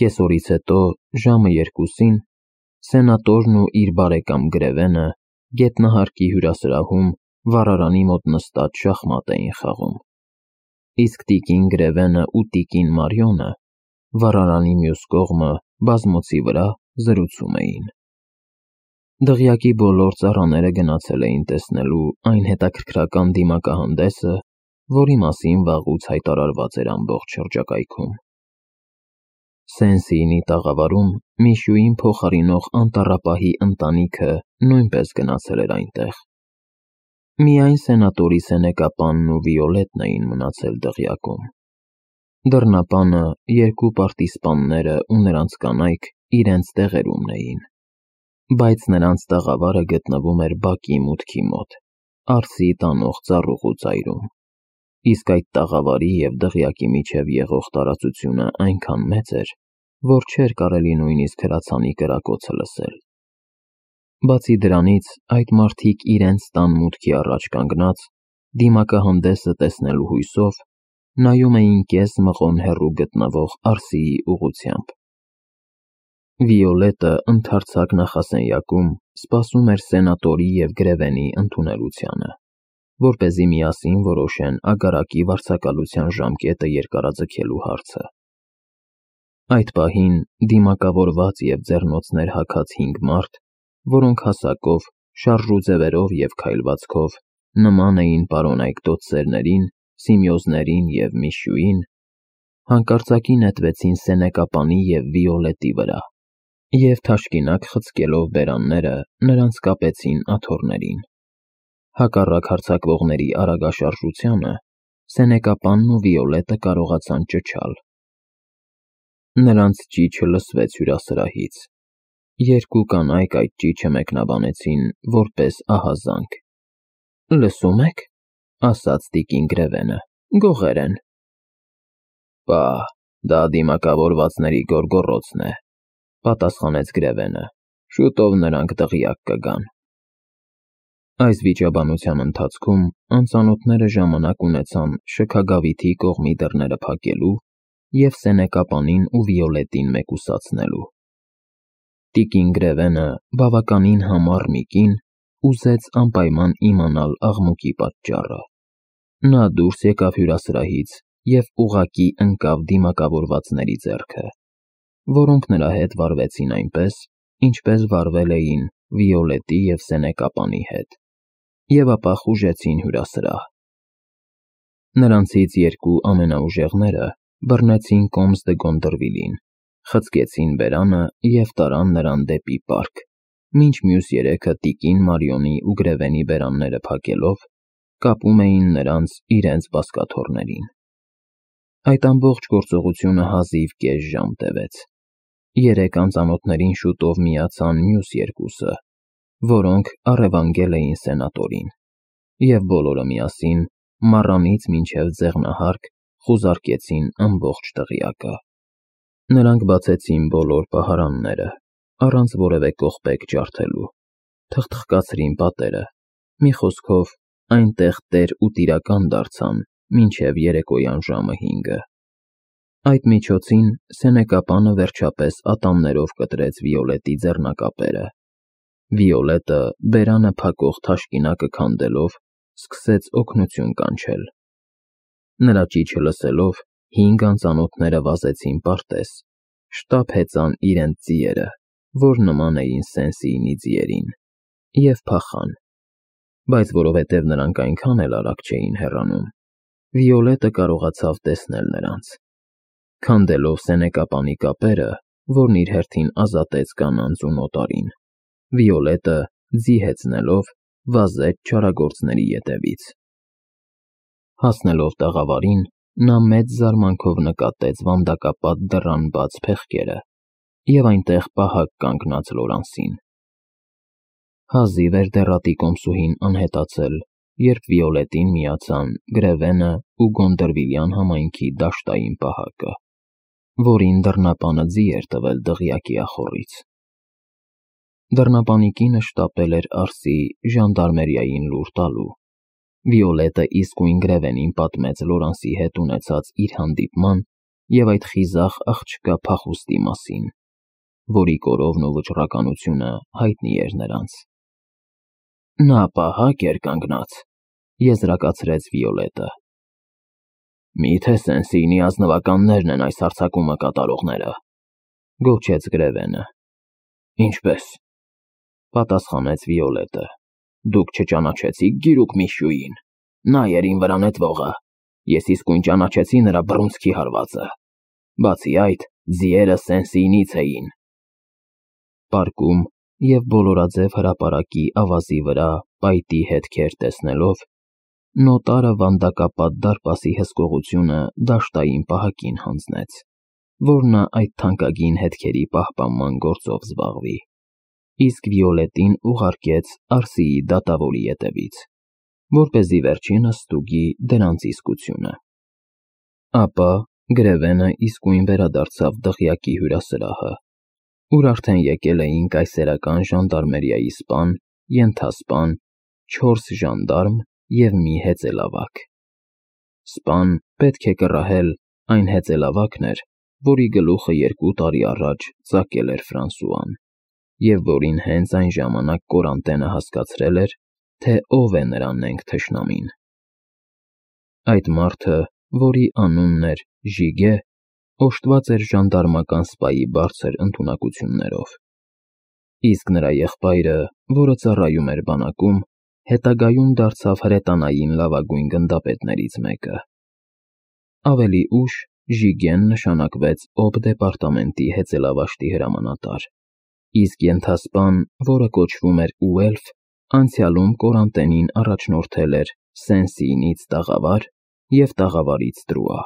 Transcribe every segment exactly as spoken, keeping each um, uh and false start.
Կեսօրից հետո, ժամը երկուսին, սենատորն ու իր բարեկամ Գրևենը գետնահարկի հյուրասրահում վառարանի մոտ նստած շախմատ էին խաղում, իսկ տիկին Գրևենը ու տիկին Մարիոնը վառարանի մյուս կողմը բազմոցի վրա զրուցում էին։ Դղյակի բոլոր ծառաները գնացել էին տեսնելու այն հետաքրքրական դիմակահանդեսը, որի մասին վաղուց հայտարարված էր ամբողջ շրջակայքում։ Սենսիինի տաղավարում Միշուին փոխարինող անտառապահի ընտանիքը նույնպես գնացել էր այնտեղ։ Միայն սենատորի սենեկապանն ու Վիոլետն էին մնացել դղյակում։ Դռնապանը, երկու պարտիզպանները ու նրանց կանայք իրենց տեղերումն էին, բայց նրանց տաղավարը գտնվում էր բակի մուտքի մոտ, արձի տանող ծառուղու ծայրում, իսկ այդ տաղավարի և դղյակի միջև եղող տարածությունը այնքան մեծ էր, որ չէր կարելի նույնիսկ հրացանի կրակոցը լսել։ Բացի դրանից, այդ մարդիկ իրենց տան մուտքի առաջ կանգնած, դիմակահանդեսը տեսնելու հույսով, նայում էին կես մղոն հեռու գտնվող արձիի ուղղությամբ։ Վիոլետը ընդարձակ նախասենյակում սպասում էր սենատորի և Գրևենի ընդունելությանը, որպեսզի միասին որոշեն ագարակի վարձակալության ժամկետը երկարաձգելու հարցը։ Այդ պահին դիմակավորված և ձեռնոցներ հագած հինգ մարդ, որոնք հասակով, շարժուձևերով և քայլվածքով նման էին պարոնայք դոթսերներին, Սիմեոզներին և Միշուին, հանկարծակի նետվեցին սենեկապանի և Վիոլետի վրա և, թաշկինակ խցկելով բերանները, նրանց կապեցին աթոռներին։ Հակառակ հարձակվողների արագաշարժությանը, սենեկապանն ու Վիոլետը կարողացան ճչալ։ Նրանց ճիչը լսվեց հյուրասրահից։ Երկու կանայք այդ ճիչը մեկնաբանեցին որպես ահազանգ։ «Լսո՞ւմ եք,» ասաց տիկին Գրևենը, «գողեր են»։ «Պահ, դա դիմակավորվածների գոռգոռոցն է», պատասխանեց Գրևենը, «շուտով նրանք դղյակ կգան»։ Այս վիճաբանության ընթացքում անծանոթները ժամանակ ունեցան շքագավիթի կողմի դռները փակելու և սենեկապանին ու Վիոլետին մեկուսացնելու։ Տիկին Գրևենը, բավականին համառ մի կին, ուզեց անպայման իմանալ աղմուկի պատճառը։ Նա դուրս եկավ հյուրասրահից և ուղղակի ընկավ դիմակավորվածների ձեռքը, որոնք նրա հետ վարվեցին այնպես, ինչպես վարվել էին Վիոլետի և սենեկապանի հետ, և ապա խուժեցին հյուրասրահ։ Նրանցից երկու ամենաուժեղները բռնեցին Կոմս դը Գոնդրվիլին, խցկեցին բերանը և տարան նրան դեպի պարկ, մինչ մյուս երեքը տիկին Մարիոնի ու Գրևենի բերանները փակելով, կապում էին նրանց իրենց բազկաթոռներին։ Այդ ամբողջ գործողությունը հազիվ կես ժամ տևեց։ Երեք անծանոթներին շուտով միացան մյուս երկուսը, որոնք առևանգել էին սենատորին, և բոլորը միասին, մառանից մինչև ձեղնահարկ, խուզարկեցին ամբողջ դղյակը։ Նրանք բացեցին բոլոր պահարանները, առանց որևէ կողպեք ջարդելու, թխթխկացրին պատերը, մի խոսքով, այնտեղ տեր ու տիրական դարձան մինչև երեկոյան ժամը հինգը։ Այդ միջոցին սենեկապանը վերջապես ատամներով կտրեց Վիոլետի ձեռնակապերը։ Վիոլետը, բերանը փակող թաշկինակը քանդելով, սկսեց օգնություն կանչել։ Նրա ճիչը լսելով, հինգ անծանոթները վազեցին պարտեզ, շտապ հեծան իրենց ձիերը, որ նման էին Սենսիինի ձիերին, և փախան։ Բայց որովհետև նրանք այնքան էլ արագ չէին հեռանում, Վիոլետը կարողացավ տեսնել նրանց։ Քանդելով սենեկապանի կապերը, որն իր հերթին ազատեց կանանց ու նոտարին, Վիոլետը, ձի հեծնելով, վազեց չարագործների ետևից։ Հասնելով տաղավարին, նա մեծ զարմանքով նկատեց վանդակապատ դռան բաց փեղկերը և այնտեղ պահակ կանգնած Լորանսին։ Հազիվ էր դեռատի կոմսուհին անհետացել, երբ Վիոլետին միացան Գրևենը ու Գոնդրվիլյան համայնքի դաշտային պահակը, որին դռնապանը ձի էր տվել դղյակի ախոռից։ Դռնապանի կինը շտապել էր արձի ժանդարմերիային լուր տալու։ Վիոլետը իսկույն Գրևենին պատմեց Լորանսի հետ ունեցած իր հանդիպման և այդ խիզախ աղջկա փախուստի մասին, որի կորովն ու վճռականությունը հայտնի էր նրանց։ Նա պահակ էր կանգնած, եզրակացրեց Վիոլետը։ Միթե Սենսիի ազնվականներն են այս հարձակումը կատարողները, գոչեց Գրևենը։ Ինչպես, պատասխանեց Վիոլետը, դուք չճանաչեցիք գիրուկ Միշյուին, նա էր իմ վրա նետվողը, ես իսկույն ճանաչեցի նրա բռունցքի հարվածը, բացի այդ, ձիերը Սենսիինից էին։ Պարկում և բոլորաձև հրապարակի ավազի վրա պայտի հետքեր տեսնելով, նոտարը վանդակապատ դարպասի հսկողությունը դաշտային պահակին հանձնեց, որ նա այդ թանկագին հետքերի պահպանման գործով զբաղվի, իսկ Վիոլետին ուղարկեց Արսիի դատավորի ետևից, որպեսզի վերջինս ստուգի դրանց իսկությունը։ Ապա Գրևենը իսկույն վերադարձավ դղյակի հյուրասրահը, ուր արդեն եկել էին կայսերական ժանդարմերիայի սպան, ենթասպան, չորս ժանդարմ և մի հեծելավակ։ Սպան պետք է կռահել այն հեծելավակն էր, որի գլուխը երկու տարի առաջ ծակել էր Ֆրանսուան, և որին հենց այն ժամանակ Կորանտենը հասկացրել էր, թե ով է նրա նենգ թշնամին։ Այդ մարդը, որի անունն էր Ժիգե, օժտված էր ժանդարմական սպայի բարձր ընդունակություններով, իսկ նրա եղբայրը, որը ծառայում էր բանակում, հետագայում դարձավ հրետանային լավագույն գնդապետներից մեկը։ Ավելի ուշ Ժիգեն նշանակվեց Օբ դեպարտամենտի հեծելավաշտի հրամանատար, իսկ ենթասպան, որը կոչվում էր Ուելֆ, անցյալում Կորանտենին առաջնորդել էր Սենսիինից տաղավար և տաղավարից տրուա։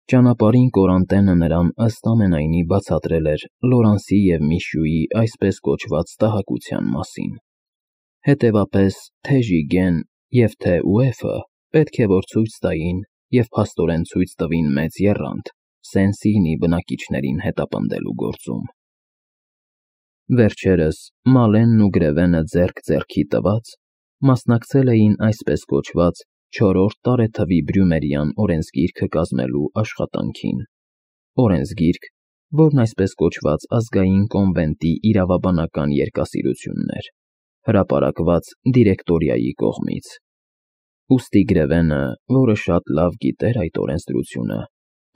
Ճանապարհին Կորանտենը նրան ըստ ամենայնի բացատրել էր Լորանսի և Միշյուի այսպես կոչված տհակության մասին, հետևապես թե Ժիգեն և թե Ուելֆը պետք է որ ցույց տային և փաստորեն ցույց տվին մեծ եռանդ Սենսիինի բնակիչներին հետապնդելու գործում։ Վերջերս Մալենն ու Գրևենը ձեռք ձեռքի տված մասնակցել էին այսպես կոչված չորրորդ տարեթվի Բրյումերյան օրենսգիրքը կազմելու աշխատանքին, օրենսգիրք, որն այսպես կոչված ազգային կոնվենտի իրավաբանական երկասիրությունն էր, հրապարակված դիրեկտորիայի կողմից։ Ուստի Գրևենը, որը շատ լավ գիտեր այդ օրենսդրությունը,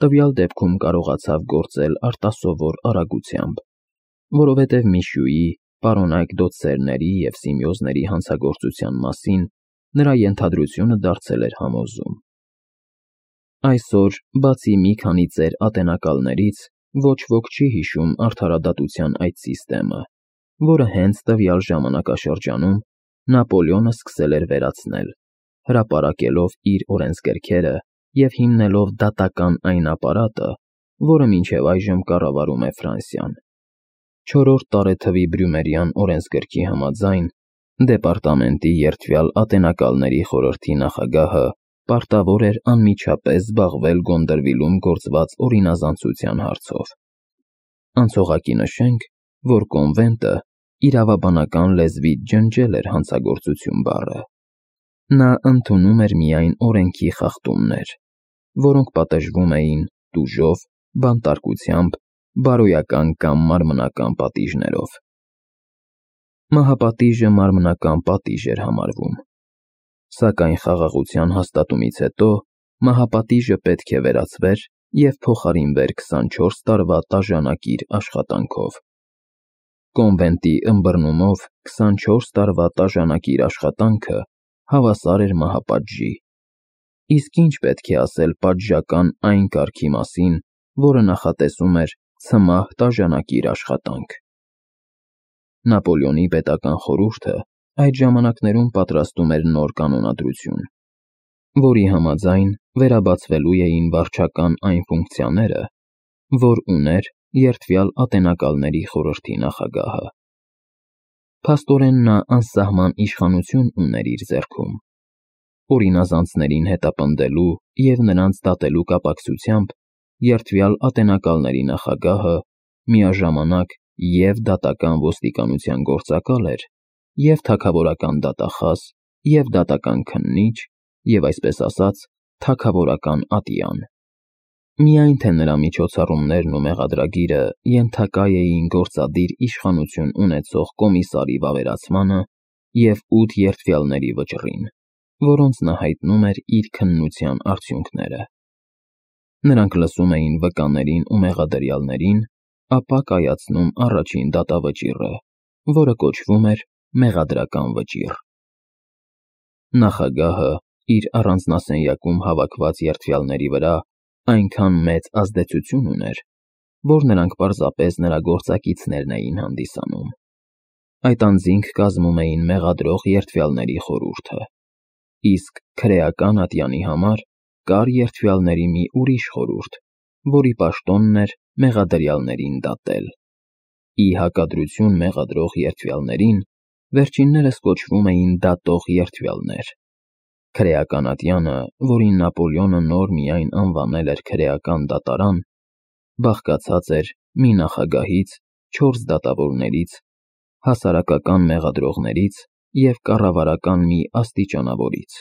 տվյալ դեպքում կարողացավ գործել արտասովոր արագությամբ, որովհետև Միշյուի, պարոնայք դոցերների և սիմիոզների հանցագործության մասին նրա ենթադրությունը դարձել էր համոզում։ Այսօր, բացի մի քանի ծեր ատենակալներից, ոչ ոք չի հիշում արդարադատության այդ սիստեմը, որը հենց տվյալ ժամանակաշրջանում Նապոլեոնը սկսել էր վերացնել, հրապարակելով իր օրենսգրքերը և հիմնելով դատական այն ապարատը, որը մինչև այժմ կառավարում է Ֆրանսիան։ Չորրորդ տարեթվի Բրյումերյան օրենսգրքի համաձայն, դեպարտամենտի երդվյալ ատենակալների խորհրդի նախագահը պարտավոր էր անմիջապես զբաղվել Գոնդրվիլում գործված օրինազանցության հարցով։ Անցողակի նշենք, որ կոնվենտը իրավաբանական լեզվից ջնջել էր հանցագործություն բառը։ Նա ընդունում էր միայն օրենքի խախտումներ, որոնք պատժվում էին տուժով, բանտարկությամբ, բարոյական կամ մարմնական պատիժներով։ Մահապատիժը մարմնական պատիժ էր համարվում, սակայն խաղաղության հաստատումից հետո մահապատիժը պետք է վերացվեր և փոխարինվեր քսանչորս տարվա տաժանակիր աշխատանքով։ Կոնվենտի ըմբռնումով քսանչորս տարվա տաժանակիր աշխատանքը հավասար էր մահապատժի, իսկ ինչ պետք է ասել պատժական այն կարգի մասին, որը նախատեսում էր ցմահ տաժանակիր աշխատանք։ Նապոլեոնի պետական խորհուրդը այդ ժամանակներում պատրաստում էր նոր կանոնադրություն, որի համաձայն վերաբացվելու էին վարչական այն ֆունկցիաները, որ ուներ երդվյալ ատենակալների խորհրդի նախագահը։ Փաստորեն նա անսահման իշխանություն ուներ իր ձեռքում։ Օրինազանցներին հետապնդելու և նրանց դատելու կապակցությամբ երդվյալ ատենակալների նախագահը միաժամանակ և դատական ոստիկանության գործակալ էր, և թագավորական դատախազ, և դատական քննիչ, և այսպես ասած թագավորական ատյան։ Միայն թե նրա միջոցառումներն ու մեղադրագիրը ենթակա էին գործադիր իշխանություն ունեցող կոմիսարի վավերացմանը և ութ երդվյալների վճռին, որոնց նա հայտնում էր իր քննության արդյունքները։ Նրանք լսում էին վկաներին ու մեղադրյալներին, ապա կայացնում առաջին դատավճիռը, որը կոչվում էր մեղադրական վճիռ։ Նախագահը իր առանձնասենյակում հավաքված երդվյալների վրա այնքան մեծ ազդեցություն ուներ, որ նրանք պարզապես նրա գործակիցներն էին հանդիսանում։ Այդ անձինք կազմում էին մեղադրող երդվյալների խորհուրդը, իսկ քրեական ատյանի համար կար երդվյալների մի ուրիշ խորհուրդ, որի պաշտոնն էր մեղադրյալներին դատել։ Ի հակադրություն մեղադրող երդվյալներին, վերջիններս կոչվում էին դատող երդվյալներ։ Քրեական ատյանը, որին Նապոլեոնը նոր միայն անվանել էր քրեական դատարան, բաղկացած էր մի նախագահից, չորս դատավորներից, հասարակական մեղադրողներից և կառավարական մի աստիճանավորից։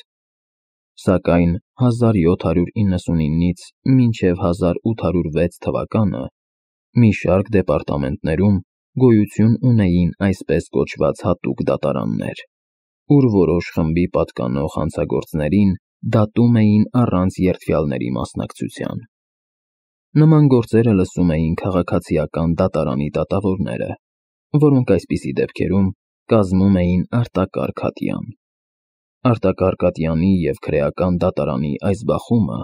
Սակայն հազար յոթ հարյուր իննսունինից մինչև հազար ութ հարյուր վեց թվականը մի շարք դեպարտամենտներում գոյություն ունեին այսպես կոչված հատուկ դատարաններ, ուր որոշ խմբի պատկանող հանցագործներին դատում էին առանց երդվյալների մասնակցության։ Նման գործերը լսում էին քաղաքացիական դատարանի դատավորները, որոնք այսպիսի դեպքերում կազմում էին արտակարգ ատյան։ Արտակարգ ատյանի և քրեական դատարանի այս բախումը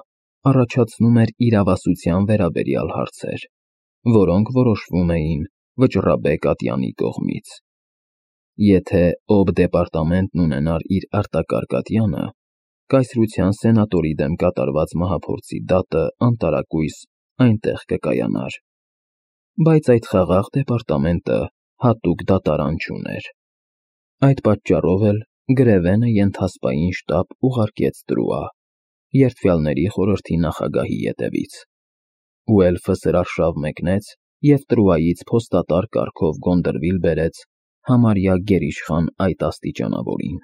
առաջացնում էր իրավասության վերաբերյալ հարցեր, որոնք որոշվում էին վճռաբեկ ատյանի կողմից։ Եթե օբդեպարտամենտն ունենար իր արտակարգ ատյանը, կայսրության սենատորի դեմ կատարված մահափորձի դատը անտարակույս այնտեղ կկայանար։ Բայց այդ խաղաղ դեպարտամենտը հատուկ դատարան չուներ։ Այդ պատճառով էլ Գրևենը ենթասպային շտաբ ուղարկեց Տրուա՝ երդվյալների խորհրդի նախագահի ետևից։ Ու էլֆը սրարշավ մեկնեց և Տրուայից փոստատար կարգով Գոնդրվիլ բերեց համարյա գերիշխան այդ աստիճանավորին։